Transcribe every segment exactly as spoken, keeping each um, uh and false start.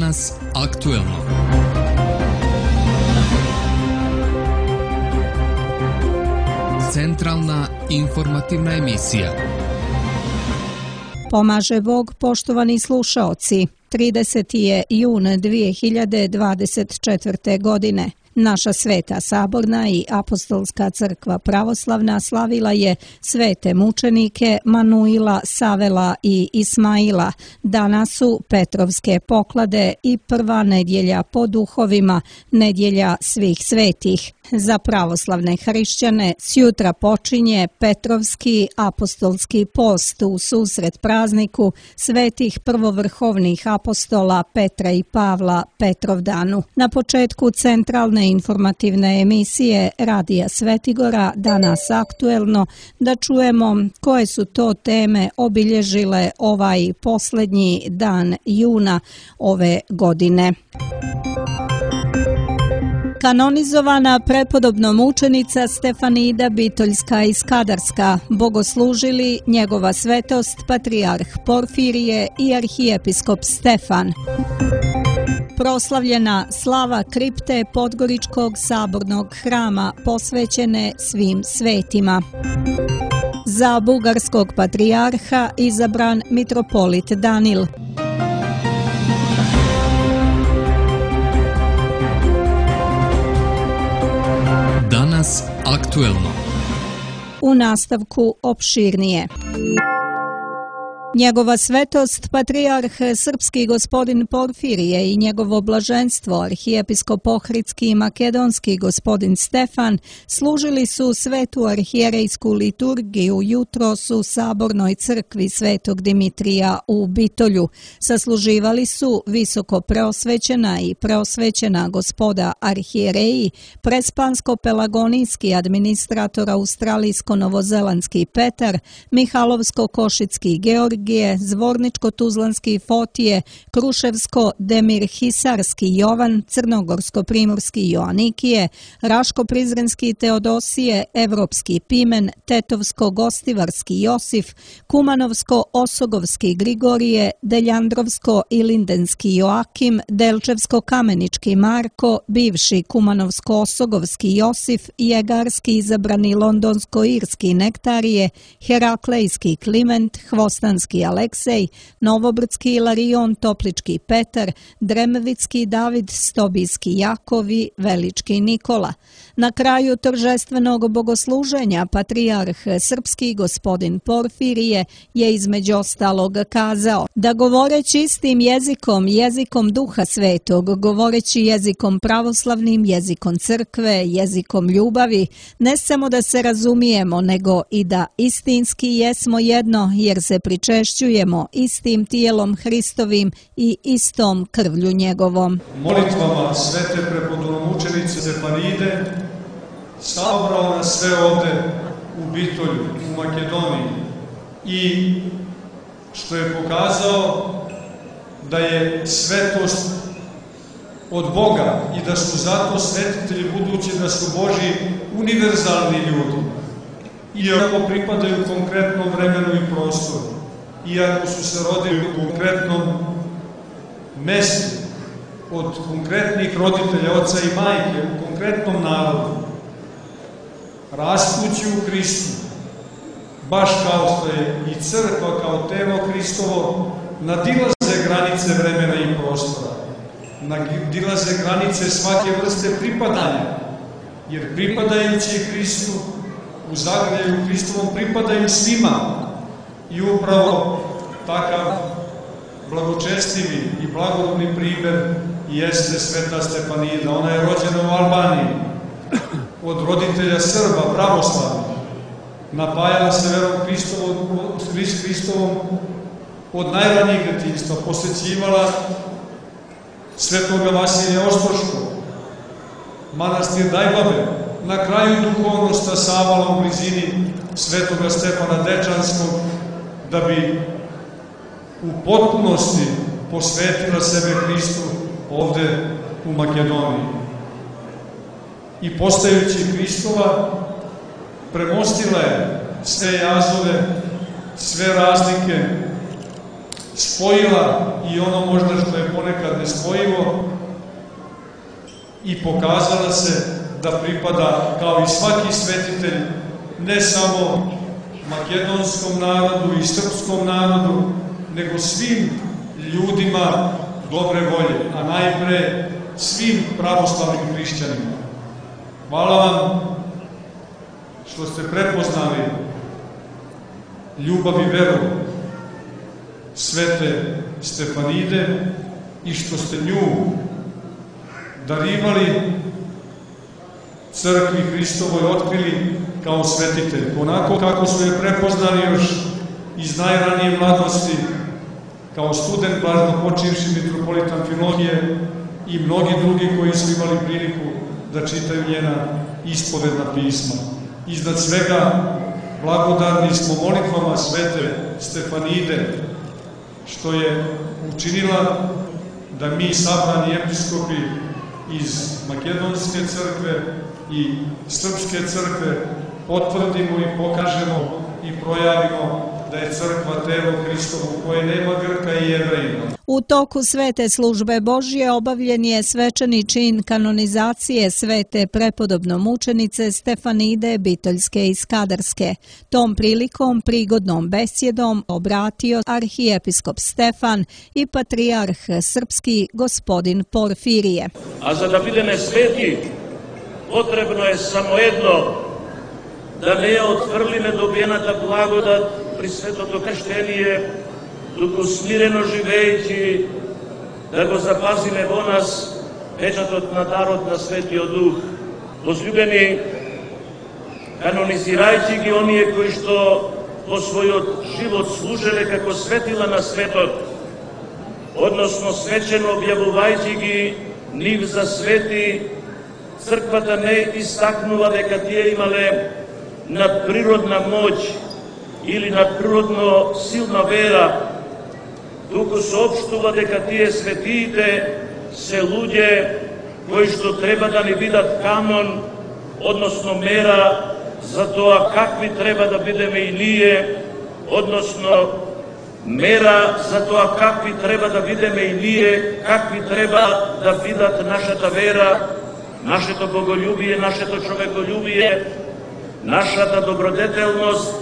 Danas aktuelno. Centralna informativna emisija. Pomaže Bog, poštovani slušaoci. trideseti je jun dvije hiljade dvadeset četvrte. godine. Naša Sveta Saborna i Apostolska crkva pravoslavna slavila je svete mučenike Manuila, Savela i Ismaila. Danas su Petrovske poklade i prva nedjelja po duhovima, nedjelja svih svetih. Za pravoslavne hrišćane sjutra počinje Petrovski apostolski post u susret prazniku svetih prvovrhovnih apostola Petra i Pavla Petrovdanu. Na početku centralne informativne emisije Radija Svetigora Danas aktuelno da čujemo koje su to teme obilježile ovaj posljednji dan juna ove godine. Kanonizovana prepodobno mučenica Stefanida Bitoljska i Skadarska, bogoslužili njegova svetost patrijarh Porfirije i arhijepiskop Stefan. Proslavljena slava kripte Podgoričkog sabornog hrama posvećene svim svetima. Za bugarskog patrijarha izabran mitropolit Danil. Danas aktuelno. U nastavku opširnije. Njegova svetost, patrijarh srpski gospodin Porfirije i njegovo blaženstvo, arhijepiskop ohridski i makedonski gospodin Stefan, služili su svetu arhijerejsku liturgiju jutros u Sabornoj crkvi Svetog Dimitrija u Bitolju. Sasluživali su visoko preosvećena i preosvećena gospoda arhijereji, prespansko-pelagonijski administrator australijsko-novozelandski Petar, Mihalovsko-košicki Georg, Zvorničko-tuzlanski Fotije, Kruševsko-Demir-Hisarski Jovan, Crnogorsko-primorski Joanikije, Raško-prizrenski Teodosije, Evropski Pimen, Tetovsko-gostivarski Josif, Kumanovsko-osogovski Grigorije, Deljandrovsko-ilindenski Joakim, Delčevsko-kamenički Marko, bivši Kumanovsko-osogovski Josif, Jegarski izabrani Londonsko-irski Nektarije, Heraklejski Kliment, Hvostanski Aleksej, Novobrdski Ilarion, Toplički Petar, Dremevicki David, Stobijski Jakov i Velički Nikola. Na kraju торжественog bogosluženja patrijarh srpski gospodin Porfirije je između ostalog kazao da govoreći istim jezikom, jezikom Duha Svetog, govoreći jezikom pravoslavnim, jezikom crkve, jezikom ljubavi, ne samo da se razumijemo, nego i da istinski jesmo jedno, jer se pričešćujemo istim tijelom Hristovim i istom krvlju njegovom. Molitvama svete prepodobnomučenice Stefanide sabrao nas sve ovde u Bitolju, u Makedoniji, i što je pokazao da je svetost od Boga i da su zato svetitelji budući da su Božji univerzalni ljudi, iako pripadaju konkretnom vremenu i prostoru, iako su se rodili u konkretnom mestu, od konkretnih roditelja, oca i majke, u konkretnom narodu, rastući u Hristu, baš kao što je i crkva kao telo Hristovo, nadilaze granice vremena i prostora, nadilaze granice svake vrste pripadanja, jer pripadajući Hristu, u zagrljaju Hristovom pripadaju svima. I upravo takav blagočestivi i blagorodni primjer jeste sveta Stefanida. Ona je rođena u Albaniji od roditelja Srba, pravoslavnih. Napajala se verom Hristovom od najranijeg djetinjstva, posvećivala svetoga Vasilija Ostroškog, manastir Dajbabe, na kraju duhovnost stasavala u blizini svetoga Stefana Dečanskog, da bi u potpunosti posvetila sebe Hristu ovde u Makedoniji. I postajući Hristova, premostila je sve jazove, sve razlike, spojila i ono možda što je ponekad nespojivo i pokazala se da pripada, kao i svaki svetitelj, ne samo makedonskom narodu i srpskom narodu, nego svim ljudima dobre volje, a najpre svim pravoslavnim hrišćanima. Hvala vam što ste prepoznali ljubav i veru svete Stefanide i što ste nju darivali crkvi Hristovoj, otkrili kao svetitelj, onako kako su je prepoznali još iz najranije mladosti, kao student blaženopočivši mitropolit Amfilohije i mnogi drugi koji su imali priliku da čitaju njena ispovedna pisma. Iznad svega, blagodarni smo molitvama svete Stefanide, što je učinila da mi, sabrani episkopi iz Makedonske crkve i Srpske crkve, potvrdimo i pokažemo i projavimo da je crkva telo Hristovo u kojoj nema Grka i Jevrejina. U toku svete službe Božje obavljen je svečani čin kanonizacije svete prepodobno mučenice Stefanide Bitoljske i Skadarske. Tom prilikom prigodnom besjedom obratio arhijepiskop Stefan i patrijarh srpski gospodin Porfirije. A za da budeme sveti, potrebno je samo jedno, da ne je od vrline dobijenata blagodat pri svetото krštenije, туку смирено живејќи, да го запазиме во нас печатот на дарот на Светиот Дух. Возлюбени, канонизирајќи ги оние кои што во својот живот служеле како светила на светот, односно свечено објавувајќи ги нив за свети, црквата не истакнува дека тие имале надприродна моќ или надприродно силна вера, туку соопштува дека тие светиите се луѓе кои што треба да ни видат канон, односно мера за тоа какви треба да бидеме и ние, односно мера за тоа какви треба да бидеме и ние, какви треба да видат нашата вера, нашето боголюбие, нашето човеколюбие, нашата добродетелност,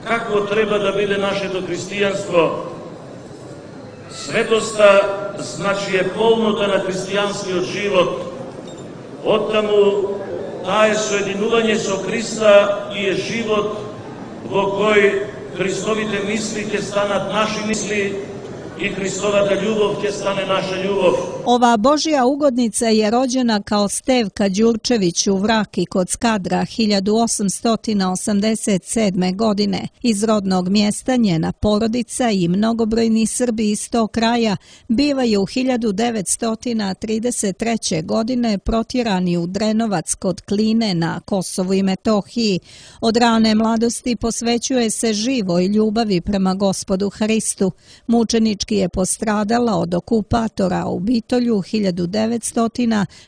какво треба да биде нашето христијанство. Светоста значи е полнота на христијанскиот живот. Оттаму таа е соединување со Христа и е живот во кој Христовите мисли ќе станат наши мисли i Hristovata ljubav će stane naša ljubav. Ova Božja ugodnica je rođena kao Stevka Đurčević u Vraki kod Skadra hiljadu osamsto osamdeset sedme. godine. Iz rodnog mjesta njena porodica i mnogobrojni Srbi iz tog kraja bivaju u hiljadu devetsto trideset treće. godine protjerani u Drenovac kod Kline na Kosovu i Metohiji. Od rane mladosti posvećuje se živoj ljubavi prema Gospodu Hristu. Mučenički je postradala od okupatora u Bitolju hiljadu devetsto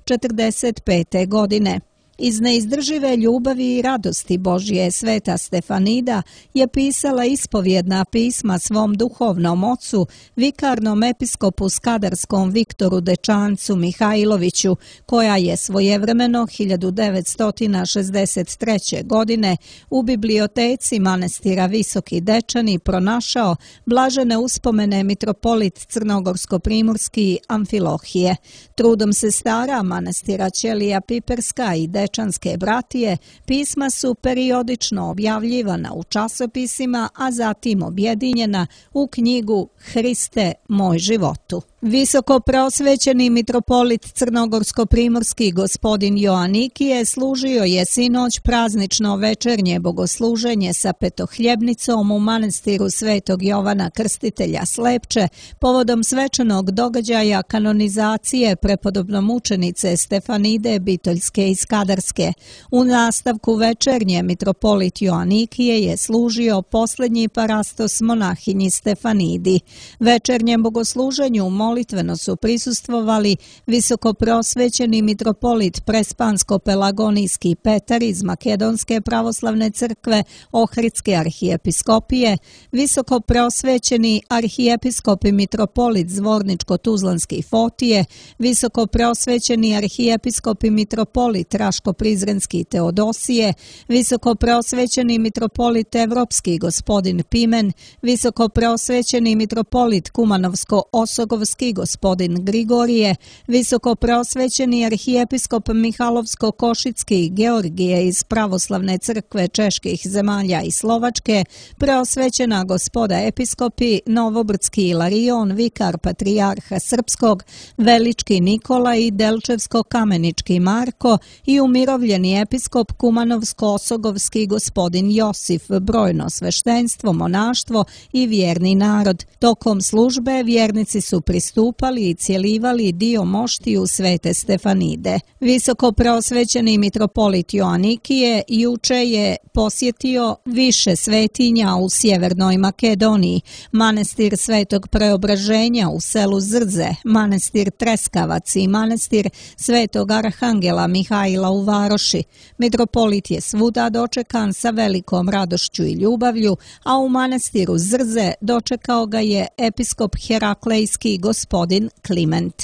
četrdeset pete. godine. Iz neizdržive ljubavi i radosti Božje sveta Stefanida je pisala ispovjedna pisma svom duhovnom ocu, vikarnom episkopu skadarskom Viktoru Dečancu Mihajloviću, koja je svojevremeno hiljadu devetsto šezdeset treće. godine u biblioteci manastira Visoki Dečani pronašao blažene uspomene mitropolit Crnogorsko-primorski Amfilohije. Trudom sestara manastira Ćelija Piperska i Dečanske bratije, pisma su periodično objavljivana u časopisima, a zatim objedinjena u knjigu Hriste, moj životu. Visoko preosvećeni mitropolit Crnogorsko-primorski gospodin Joanikije služio je sinoć praznično večernje bogosluženje sa petohljebnicom u manastiru Svetog Jovana Krstitelja Slepče povodom svečanog događaja kanonizacije prepodobnomučenice Stefanide Bitoljske i Skadarske. U nastavku večernje mitropolit Joanikije je služio posljednji parastos monahinji Stefanidi. Večernjem bogosluženju molitveno su prisustvovali visokoprosvećeni mitropolit Prespansko-Pelagonijski Petar iz Makedonske pravoslavne crkve Ohridske arhijepiskopije, visokoprosvećeni arhijepiskop i mitropolit Zvorničko-Tuzlanski Fotije, visokoprosvećeni arhijepiskop i mitropolit Raško-Prizrenski Teodosije, visokoprosvećeni mitropolit Evropski gospodin Pimen, visokoprosvećeni mitropolit Kumanovsko-Osogovski gospodin Grigorije, visokoprosvećeni arhijepiskop Mihalovsko-Košicki Georgije iz pravoslavne crkve čeških zemalja i Slovačke, preosvećena gospoda episkopi Novobrdski Ilarion, vikar patrijarha Srpskog, Velički Nikola i Delčevsko-Kamenički Marko i umirovljeni episkop Kumanovsko-Osogovski gospodin Josif, brojno sveštenstvo, monaštvo i vjerni narod. Tokom službe vjernici su pristupali i cjelivali dio moštiju Svete Stefanide. Visoko preosvećeni mitropolit Joanikije juče je posjetio više svetinja u Sjevernoj Makedoniji, manastir Svetog Preobraženja u selu Zrze, manastir Treskavac i manastir Svetog Arhangela Mihajla u Varoši. Mitropolit je svuda dočekan sa velikom radošću i ljubavlju, a u manastiru Zrze dočekao ga je episkop Heraklejski gospodin Kliment.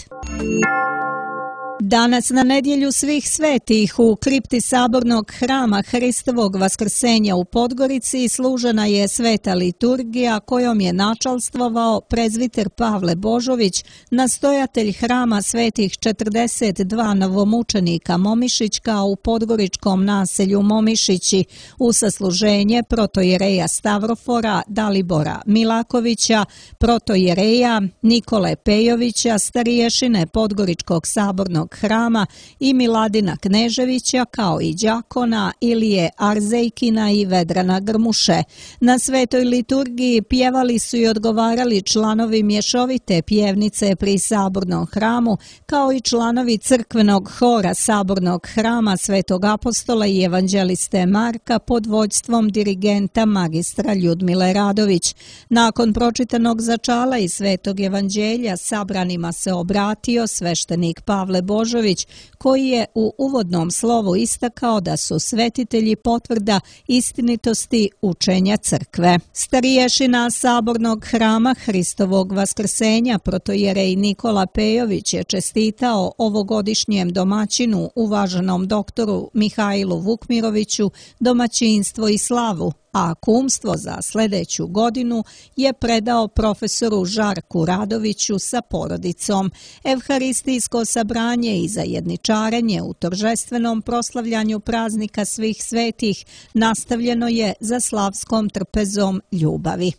Danas na nedjelju svih svetih u kripti sabornog hrama Hristovog vaskrsenja u Podgorici služena je sveta liturgija kojom je načalstvovao prezviter Pavle Božović, nastojatelj hrama svetih četrdeset dva novomučenika Momišićka u podgoričkom naselju Momišići u sasluženje protojereja Stavrofora Dalibora Milakovića, protojereja Nikole Pejovića, stariješine Podgoričkog sabornog hrama i Miladina Kneževića, kao i đakona Ilije Arzejkina i Vedrana Grmuše. Na svetoj liturgiji pjevali su i odgovarali članovi mješovite pjevnice pri sabornom hramu, kao i članovi crkvenog hora sabornog hrama Svetog apostola i evanđeliste Marka pod vođstvom dirigenta magistra Ljudmile Radović. Nakon pročitanog začala i svetog evanđelja sabranima se obratio sveštenik Pavle Božović, koji je u uvodnom slovu istakao da su svetitelji potvrda istinitosti učenja crkve. Stariješina sabornog hrama Hristovog vaskrsenja protojerej Nikola Pejović je čestitao ovogodišnjem domaćinu, uvaženom doktoru Mihajlu Vukmiroviću, domaćinstvo i slavu, a kumstvo za sljedeću godinu je predao profesoru Žarku Radoviću sa porodicom. Evharistijsko sabranje i zajedničarenje u toržestvenom proslavljanju praznika svih svetih nastavljeno je za slavskom trpezom ljubavi.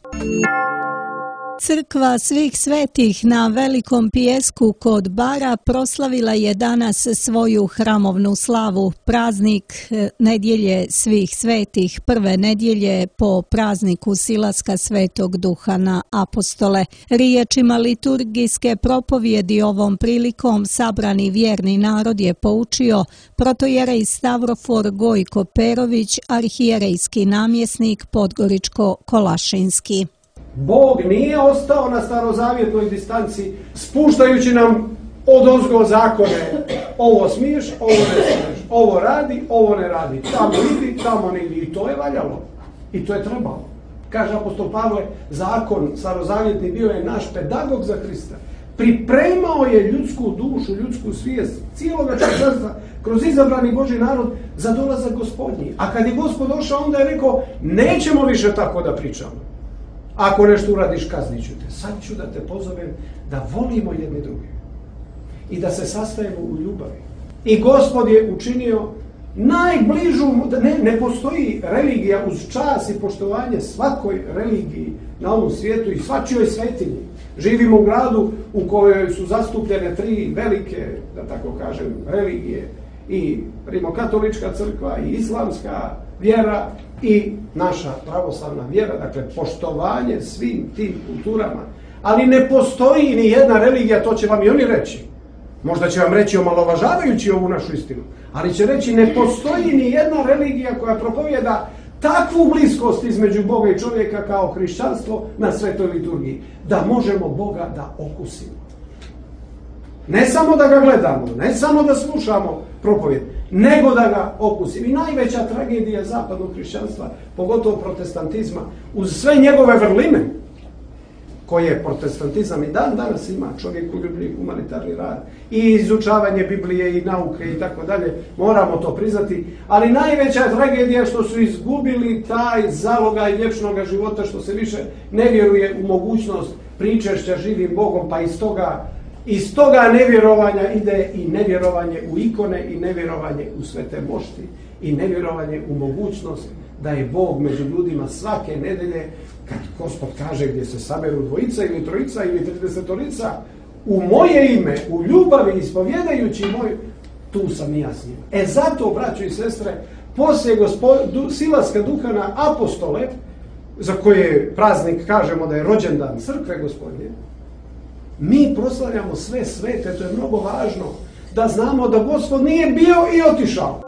Crkva svih svetih na Velikom pijesku kod Bara proslavila je danas svoju hramovnu slavu. Praznik nedjelje svih svetih, prve nedjelje po prazniku silaska Svetog Duha na apostole. Riječima liturgijske propovjedi ovom prilikom sabrani vjerni narod je poučio protojerej Stavrofor Gojko Perović, arhijerejski namjesnik Podgoričko-Kolašinski. Bog nije ostao na starozavjetnoj distanci, spuštajući nam odozgo zakone. Ovo smiješ, ovo ne smiješ, ovo radi, ovo ne radi, tamo idi, tamo ne idi. I to je valjalo. I to je trebalo. Kaže apostol Pavle, zakon starozavjetni bio je naš pedagog za Krista. Pripremao je ljudsku dušu, ljudsku svijest, cijeloga čovječanstva kroz izabrani Božji narod za dolazak Gospodnji. A kad je Gospod došao, onda je rekao, nećemo više tako da pričamo. Ako nešto uradiš, kaznit ću te. Sad ću da te pozovem da volimo jedni druge i da se sastajemo u ljubavi. I Gospod je učinio najbližu, ne, ne postoji religija uz čast i poštovanje svakoj religiji na ovom svijetu i svačijoj svetinji. Živimo u gradu u kojoj su zastupljene tri velike, da tako kažem, religije, i rimokatolička crkva i islamska vjera i naša pravoslavna vjera, dakle poštovanje svim tim kulturama. Ali ne postoji ni jedna religija, to će vam i oni reći. Možda će vam reći omalovažavajući ovu našu istinu, ali će reći ne postoji ni jedna religija koja propovjeda takvu bliskost između Boga i čovjeka kao hrišćanstvo na svetoj liturgiji, da možemo Boga da okusimo. Ne samo da ga gledamo, ne samo da slušamo propovjed, nego da ga okusimo. I najveća tragedija zapadnog hrišćanstva, pogotovo protestantizma, uz sve njegove vrline, koje protestantizam i dan danas ima, čovjekoljublji humanitarni rad i izučavanje Biblije i nauke i tako dalje, moramo to priznati, ali najveća tragedija što su izgubili taj zalogaj vječnog života, što se više ne vjeruje u mogućnost pričešća živim Bogom, pa iz toga, iz toga nevjerovanja ide i nevjerovanje u ikone i nevjerovanje u svete mošti i nevjerovanje u mogućnost da je Bog među ljudima svake nedelje, kad Gospod kaže gdje se saberu dvojica ili trojica ili tridesetorica, u moje ime, u ljubavi ispovjedajući moju, tu sam i ja s njim. E zato, braćo i sestre, poslije gospod, silaska duha na apostole, za koje praznik kažemo da je rođendan crkve Gospodnje, mi proslavljamo sve svete, to je mnogo važno, da znamo da Gospod nije bio i otišao.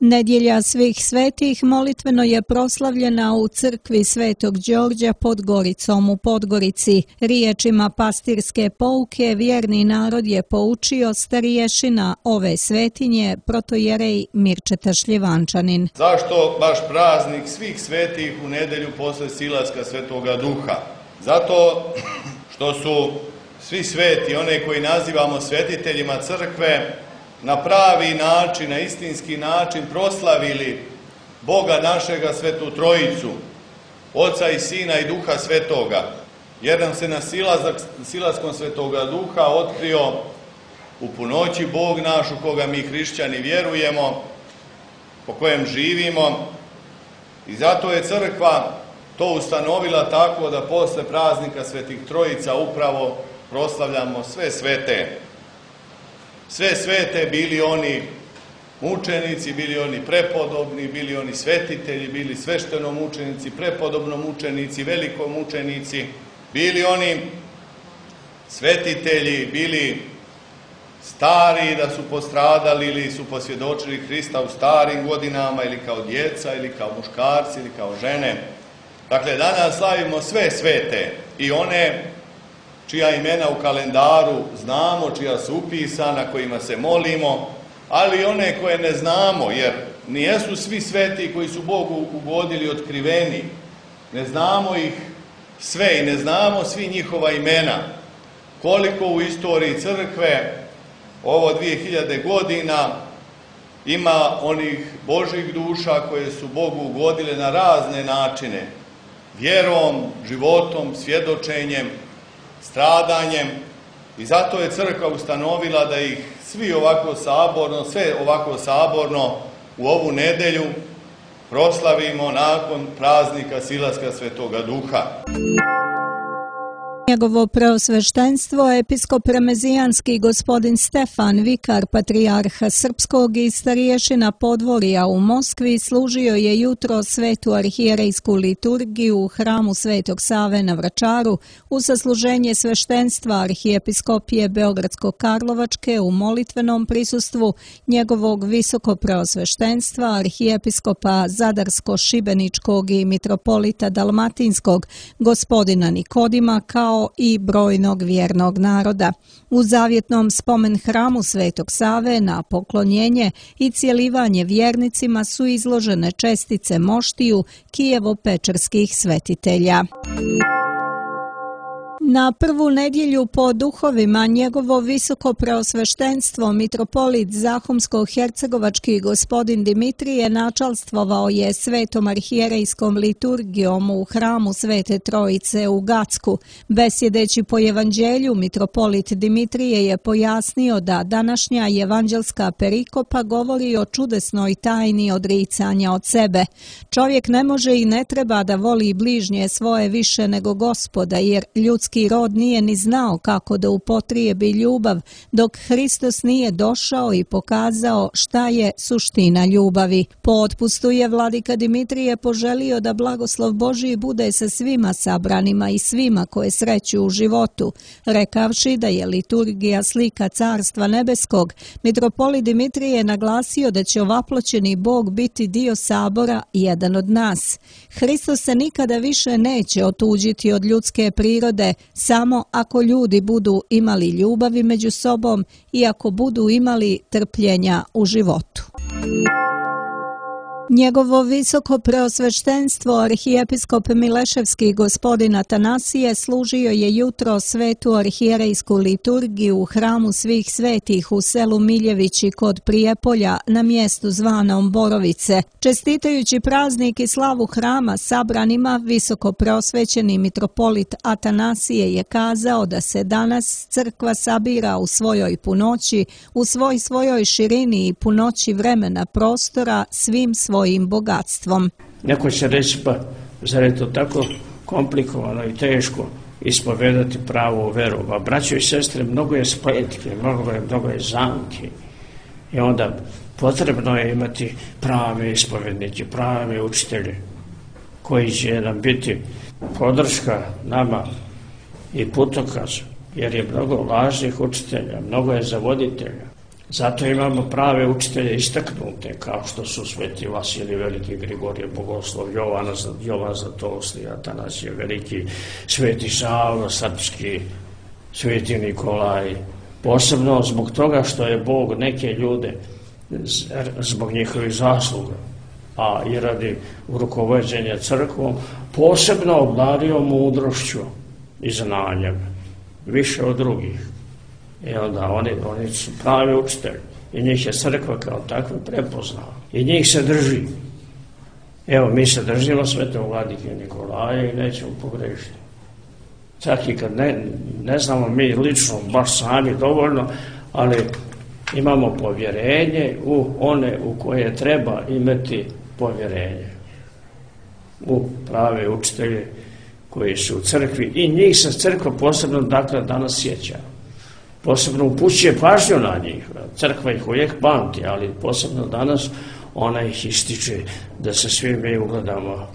Nedjelja svih svetih molitveno je proslavljena u crkvi Svetog Đorđa pod Goricom u Podgorici. Riječima pastirske pouke vjerni narod je poučio starješina ove svetinje, protojerej Mirčeta Šljivančanin. Zašto baš praznik svih svetih u nedjelju posle silaska Svetoga Duha? Zato što su svi sveti, one koji nazivamo svetiteljima crkve, na pravi način, na istinski način proslavili Boga našega, Svetu Trojicu, Oca i Sina i Duha Svetoga, jer nam se na silazak, silaskom Svetoga Duha otkrio u punoći Bog naš, u koga mi hrišćani vjerujemo, po kojem živimo, i zato je crkva to ustanovila tako da posle praznika Svetih Trojica upravo proslavljamo sve svete. Sve svete, bili oni mučenici, bili oni prepodobni, bili oni svetitelji, bili sveštenomučenici, prepodobnomučenici, velikomučenici, bili oni svetitelji, bili stari da su postradali ili su posvjedočili Hrista u starim godinama, ili kao djeca, ili kao muškarci, ili kao žene. Dakle, danas slavimo sve svete i one čija imena u kalendaru znamo, čija su upisana, kojima se molimo, ali i one koje ne znamo, jer nijesu svi sveti koji su Bogu ugodili otkriveni. Ne znamo ih sve i ne znamo svi njihova imena. Koliko u istoriji crkve, ovo dvije hiljade godina, ima onih Božjih duša koje su Bogu ugodile na razne načine. Vjerom, životom, svjedočenjem, stradanjem, i zato je crkva ustanovila da ih svi ovako saborno, sve ovako saborno u ovu nedelju proslavimo nakon praznika silaska Svetoga Duha. Njegovo preosveštenstvo, episkop remezijanski gospodin Stefan, vikar patrijarha srpskog i starješina Podvorja u Moskvi, služio je jutro svetu arhijerejsku liturgiju u hramu Svetog Save na Vračaru u sasluženje sveštenstva arhijepiskopije Beogradsko-Karlovačke u molitvenom prisustvu njegovog visoko preosveštenstva arhijepiskopa Zadarsko-Šibeničkog i mitropolita Dalmatinskog gospodina Nikodima, kao i brojnog vjernog naroda. U zavjetnom spomen hramu Svetog Save na poklonjenje i cjelivanje vjernicima su izložene čestice moštiju Kijevo-pečerskih svetitelja. Na prvu nedjelju po duhovima njegovo visoko preosveštenstvo mitropolit Zahumsko-hercegovački gospodin Dimitrije načalstvovao je svetom arhijerejskom liturgijom u hramu Svete Trojice u Gacku. Besjedeći po evanđelju, mitropolit Dimitrije je pojasnio da današnja evanđelska perikopa govori o čudesnoj tajni odricanja od sebe. Čovjek ne može i ne treba da voli bližnje svoje više nego Gospoda, jer ljudski rod nije ni znao kako da upotrijebi ljubav, dok Hristos nije došao i pokazao šta je suština ljubavi. Po otpustu je vladika Dimitrije poželio da blagoslov Božiji bude sa svima sabranima i svima koje sreću u životu. Rekavši da je liturgija slika Carstva nebeskog, mitropolit Dimitrije je naglasio da će ovaploćeni Bog biti dio sabora, jedan od nas. Hristos se nikada više neće otuđiti od ljudske prirode, samo ako ljudi budu imali ljubavi među sobom i ako budu imali trpljenja u životu. Njegovo visoko preosveštenstvo arhijepiskop Mileševski gospodin Atanasije služio je jutro svetu arhijerejsku liturgiju u hramu svih svetih u selu Miljevići kod Prijepolja na mjestu zvanom Borovice. Čestitajući praznik i slavu hrama sabranima, visoko preosvećeni mitropolit Atanasije je kazao da se danas crkva sabira u svojoj punoći, u svoj svojoj širini i punoći vremena prostora svim svojim svojim bogatstvom. Neko će reći, pa zar je to tako komplikovano i teško ispovedati pravu veru? Pa braćo i sestre, mnogo je spletke, mnogo je, mnogo je zamki. I onda potrebno je imati prave ispovednike, prave učitelje koji će nam biti podrška nama i putokaz, jer je mnogo lažnih učitelja, mnogo je zavoditelja. Zato imamo prave učitelje istaknute, kao što su sveti Vasilij Veliki, Grigorije Bogoslov, Jovan, Jovan Zlatousti, Atanasije Veliki, sveti Sava Srpski, sveti Nikolaj. Posebno zbog toga što je Bog neke ljude, zbog njihovih zasluga, a i radi rukovođenja crkvom, posebno obdario mudrošću i znanjem, više od drugih. I onda oni, oni su pravi učitelji i njih je crkva kao takva prepoznala i njih se drži. Evo, mi se držimo svetog vladike Nikolaja i nećemo pogrešiti. Čak i kad ne, ne znamo mi lično, baš sami dovoljno, ali imamo povjerenje u one u koje treba imati povjerenje. U prave učitelje koji su u crkvi i njih se crkva posebno dakle danas sjeća. Posebno upućuje pažnju na njih. Crkva ih uvijek pamti, ali posebno danas ona ih ističe da se svi mi ugledamo,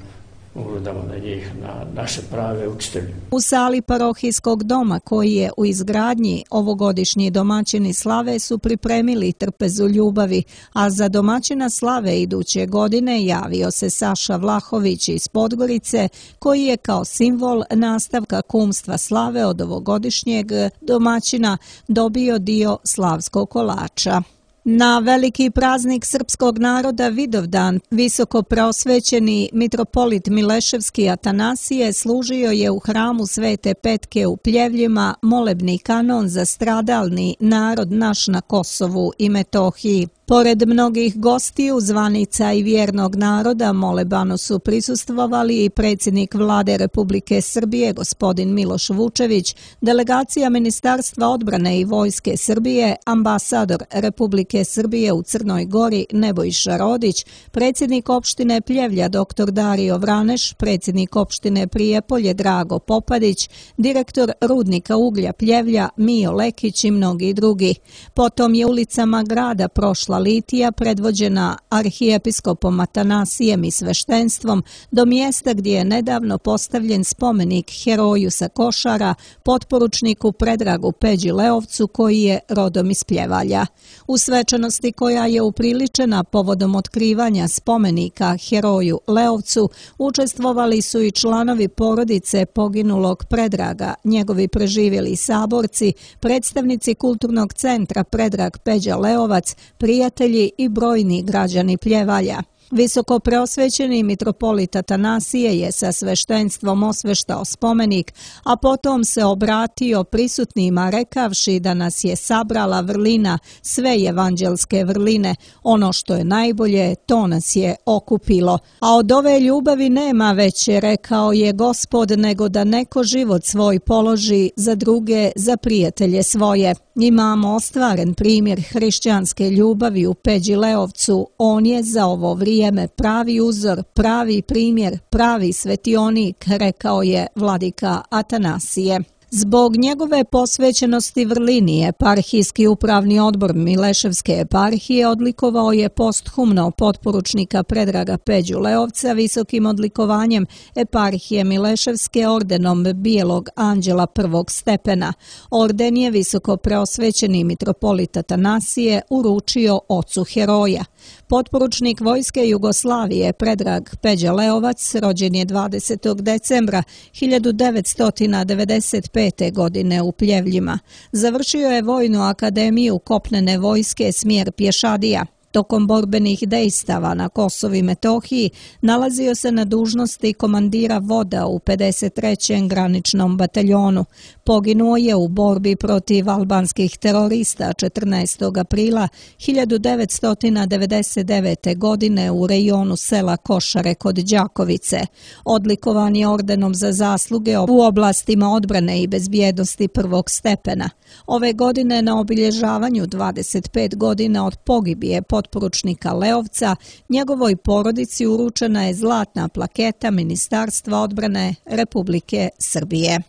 ugledamo na njih, na naše prave učitelje. U sali parohijskog doma koji je u izgradnji ovogodišnji domaćini slave su pripremili trpezu ljubavi, a za domaćina slave iduće godine javio se Saša Vlahović iz Podgorice, koji je kao simbol nastavka kumstva slave od ovogodišnjeg domaćina dobio dio slavskog kolača. Na veliki praznik srpskog naroda Vidovdan, visoko preosvećeni mitropolit Mileševski Atanasije služio je u hramu Svete Petke u Pljevljima molebni kanon za stradalni narod naš na Kosovu i Metohiji. Pored mnogih gostiju, zvanica i vjernog naroda, molebanu su prisustvovali i predsjednik Vlade Republike Srbije, gospodin Miloš Vučević, delegacija Ministarstva odbrane i Vojske Srbije, ambasador Republike Srbije u Crnoj Gori Nebojša Rodić, predsjednik opštine Pljevlja doktor Dario Vraneš, predsjednik opštine Prijepolje Drago Popadić, direktor rudnika uglja Pljevlja Mijo Lekić i mnogi drugi. Potom je ulicama grada prošla litija predvođena arhijepiskopom Atanasijem i sveštenstvom do mjesta gdje je nedavno postavljen spomenik heroju sa Košara, potporučniku Predragu Peđi Leovcu koji je rodom iz Pljevalja. U svečanosti koja je upriličena povodom otkrivanja spomenika heroju Leovcu učestvovali su i članovi porodice poginulog Predraga, njegovi preživjeli saborci, predstavnici kulturnog centra Predrag Peđa Leovac, prijatelji i brojni građani Pljevalja. Visoko preosvećeni mitropolit Atanasije je sa sveštenstvom osveštao spomenik, a potom se obratio prisutnima rekavši da nas je sabrala vrlina, sve evanđelske vrline, ono što je najbolje, to nas je okupilo. A od ove ljubavi nema veće, rekao je Gospod, nego da neko život svoj položi za druge, za prijatelje svoje. Imamo ostvaren primjer hrišćanske ljubavi u Peđi Leovcu, on je za ovo vrijeme pravi uzor, pravi primjer, pravi svetionik, rekao je vladika Atanasije. Zbog njegove posvećenosti vrlini eparhijski upravni odbor Mileševske eparhije odlikovao je posthumno potporučnika Predraga Peđu Leovca visokim odlikovanjem eparhije Mileševske ordenom Bijelog anđela prvog stepena. Orden je visoko preosvećeni mitropolit Atanasije uručio ocu heroja. Potporučnik vojske Jugoslavije Predrag Peđa Leovac rođen je dvadesetog decembra hiljadu devetsto devedeset pete. pete. godine u Pljevljima. Završio je Vojnu akademiju kopnene vojske smjer pješadija. Tokom borbenih dejstava na Kosovu i Metohiji nalazio se na dužnosti komandira voda u pedeset trećem graničnom bataljonu. Poginuo je u borbi protiv albanskih terorista četrnaestog aprila hiljadu devetsto devedeset devete. godine u rejonu sela Košare kod Đakovice. Odlikovan je ordenom za zasluge u oblastima odbrane i bezbjednosti prvog stepena. Ove godine na obilježavanju dvadeset pet godina od pogibije potporučnika Leovca, njegovoj porodici uručena je zlatna plaketa Ministarstva odbrane Republike Srbije.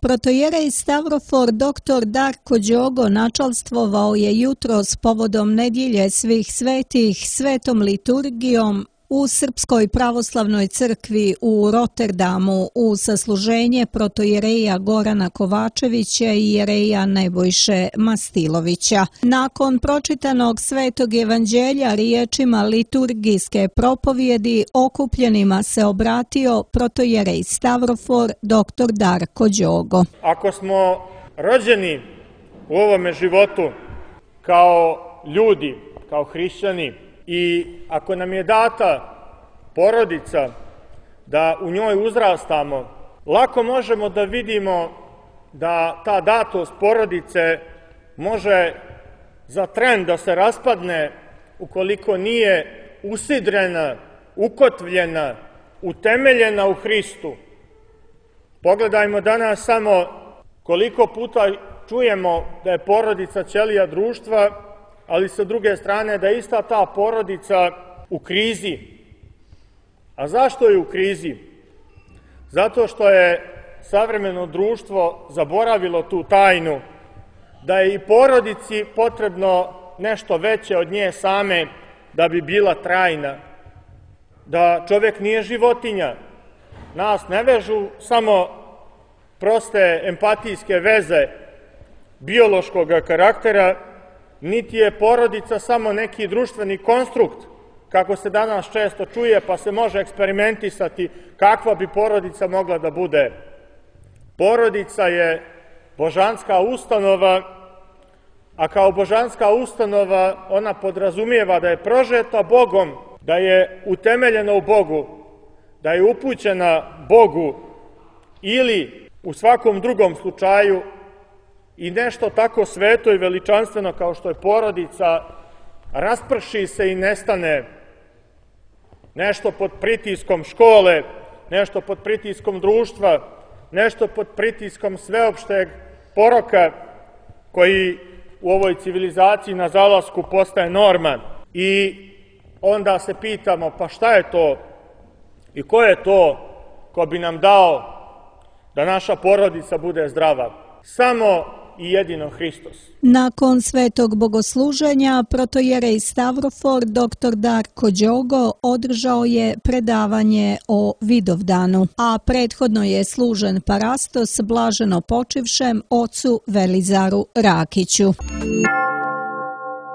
Protojerej Stavrofor doktor Darko Đogo načalstvovao je jutros povodom nedjelje svih svetih svetom liturgijom u Srpskoj pravoslavnoj crkvi u Rotterdamu u sasluženje protojereja Gorana Kovačevića i jereja Nebojše Mastilovića. Nakon pročitanog svetog evanđelja riječima liturgijske propovjedi okupljenima se obratio protojerej Stavrofor doktor Darko Đogo. Ako smo rođeni u ovome životu kao ljudi, kao hrišćani, i ako nam je data porodica da u njoj uzrastamo, lako možemo da vidimo da ta datost porodice može za tren da se raspadne ukoliko nije usidrena, ukotvljena, utemeljena u Hristu. Pogledajmo danas samo koliko puta čujemo da je porodica ćelija društva, ali sa druge strane da je ista ta porodica u krizi. A zašto je u krizi? Zato što je savremeno društvo zaboravilo tu tajnu, da je i porodici potrebno nešto veće od nje same da bi bila trajna. Da čovjek nije životinja. Nas ne vežu samo proste empatijske veze biološkog karaktera, niti je porodica samo neki društveni konstrukt, kako se danas često čuje, pa se može eksperimentisati kakva bi porodica mogla da bude. Porodica je božanska ustanova, a kao božanska ustanova ona podrazumijeva da je prožeta Bogom, da je utemeljena u Bogu, da je upućena Bogu ili u svakom drugom slučaju i nešto tako sveto i veličanstveno kao što je porodica rasprši se i nestane. Nešto pod pritiskom škole, nešto pod pritiskom društva, nešto pod pritiskom sveopšteg poroka koji u ovoj civilizaciji na zalasku postaje norma. I onda se pitamo, pa šta je to i ko je to ko bi nam dao da naša porodica bude zdrava? Samo i jedino Hristos. Nakon svetog bogosluženja protojerej Stavrofor doktor Darko Đogo održao je predavanje o Vidovdanu, a prethodno je služen parastos blaženo počivšem ocu Velizaru Rakiću.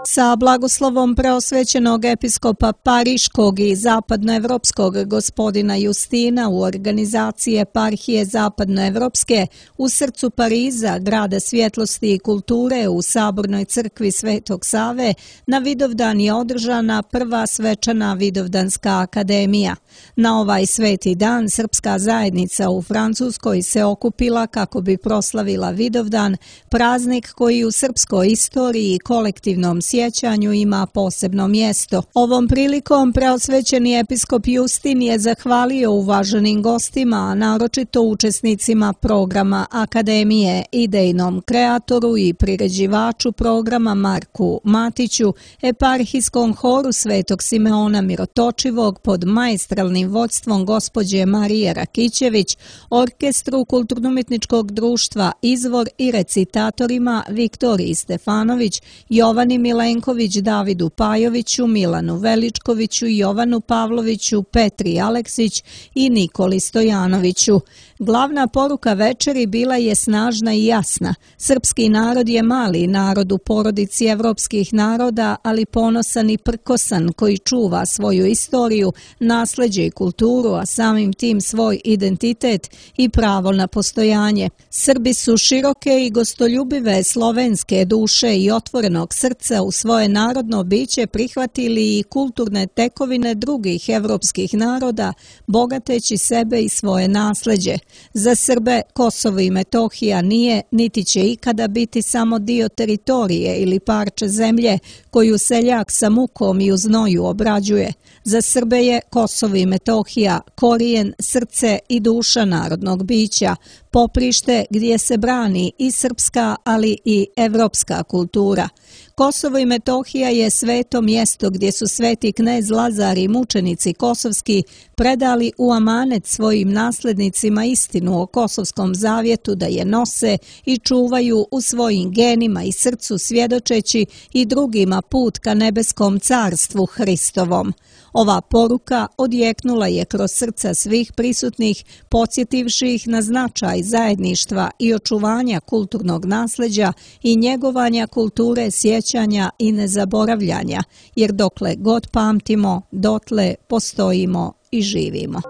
Sa blagoslovom preosvećenog episkopa Pariškog i zapadnoevropskog gospodina Justina u organizaciji eparhije zapadnoevropske u srcu Pariza, grada svjetlosti i kulture u Sabornoj crkvi Svetog Save, na Vidovdan je održana prva svečana Vidovdanska akademija. Na ovaj sveti dan srpska zajednica u Francuskoj se okupila kako bi proslavila Vidovdan, praznik koji u srpskoj istoriji i kolektivnom sjećanju ima posebno mjesto. Ovom prilikom preosvećeni episkop Justin je zahvalio uvaženim gostima, a naročito učesnicima programa Akademije, idejnom kreatoru i priređivaču programa Marku Matiću, eparhijskom horu Svetog Simeona Mirotočivog pod maestralnim vođstvom gospođe Marije Rakićević, orkestru Kulturno-umjetničkog društva Izvor i recitatorima Viktoriji Stefanović, Jovani Milenković, Plenković, Davidu Pajoviću, Milanu Veličkoviću, Jovanu Pavloviću, Petri Aleksić i Nikoli Stojanoviću. Glavna poruka večeri bila je snažna i jasna. Srpski narod je mali narod u porodici evropskih naroda, ali ponosan i prkosan koji čuva svoju istoriju, nasleđe i kulturu, a samim tim svoj identitet i pravo na postojanje. Srbi su široke i gostoljubive slovenske duše i otvorenog srca u svoje narodno biće prihvatili i kulturne tekovine drugih evropskih naroda, bogateći sebe i svoje nasleđe. Za Srbe Kosovo i Metohija nije, niti će ikada biti samo dio teritorije ili parče zemlje koju seljak sa mukom i u znoju obrađuje. Za Srbe je Kosovo i Metohija korijen, srce i duša narodnog bića, poprište gdje se brani i srpska, ali i evropska kultura. Kosovo i Metohija je sveto mjesto gdje su sveti knez Lazar i mučenici kosovski predali u amanet svojim naslednicima istinu o Kosovskom zavjetu da je nose i čuvaju u svojim genima i srcu svjedočeći i drugima put ka nebeskom carstvu Hristovom. Ova poruka odjeknula je kroz srca svih prisutnih, podsjetivši ih na značaj zajedništva i očuvanja kulturnog nasljeđa i njegovanja kulture sjećanja i nezaboravljanja, jer dokle god pamtimo, dotle postojimo i živimo.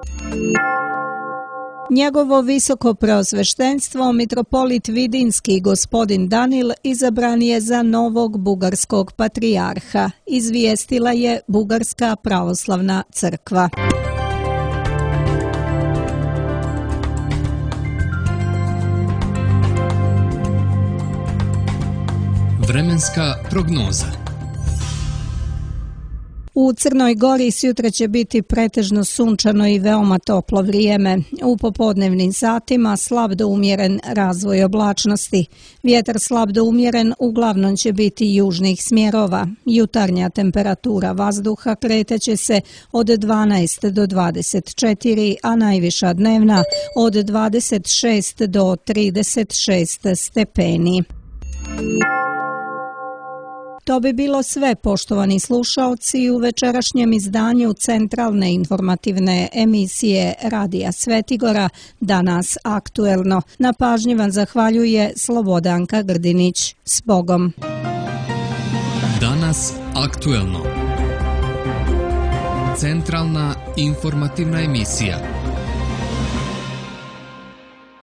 Njegovo visoko preosveštenstvo, mitropolit Vidinski gospodin Danil, izabran je za novog bugarskog patrijarha, izvijestila je Bugarska pravoslavna crkva. Vremenska prognoza. U Crnoj Gori sutra će biti pretežno sunčano i veoma toplo vrijeme. U popodnevnim satima slab do umjeren razvoj oblačnosti. Vjetar slab do umjeren uglavnom će biti južnih smjerova. Jutarnja temperatura vazduha kretaće se od dvanaest do dvadeset četiri, a najviša dnevna od dvadeset šest do trideset šest stepeni. To bi bilo sve, poštovani slušaoci, u večerašnjem izdanju centralne informativne emisije Radija Svetigora, Danas aktuelno. Na pažnji vam zahvaljuje Slobodanka Grdinić. S Bogom! Danas aktuelno. Centralna informativna emisija.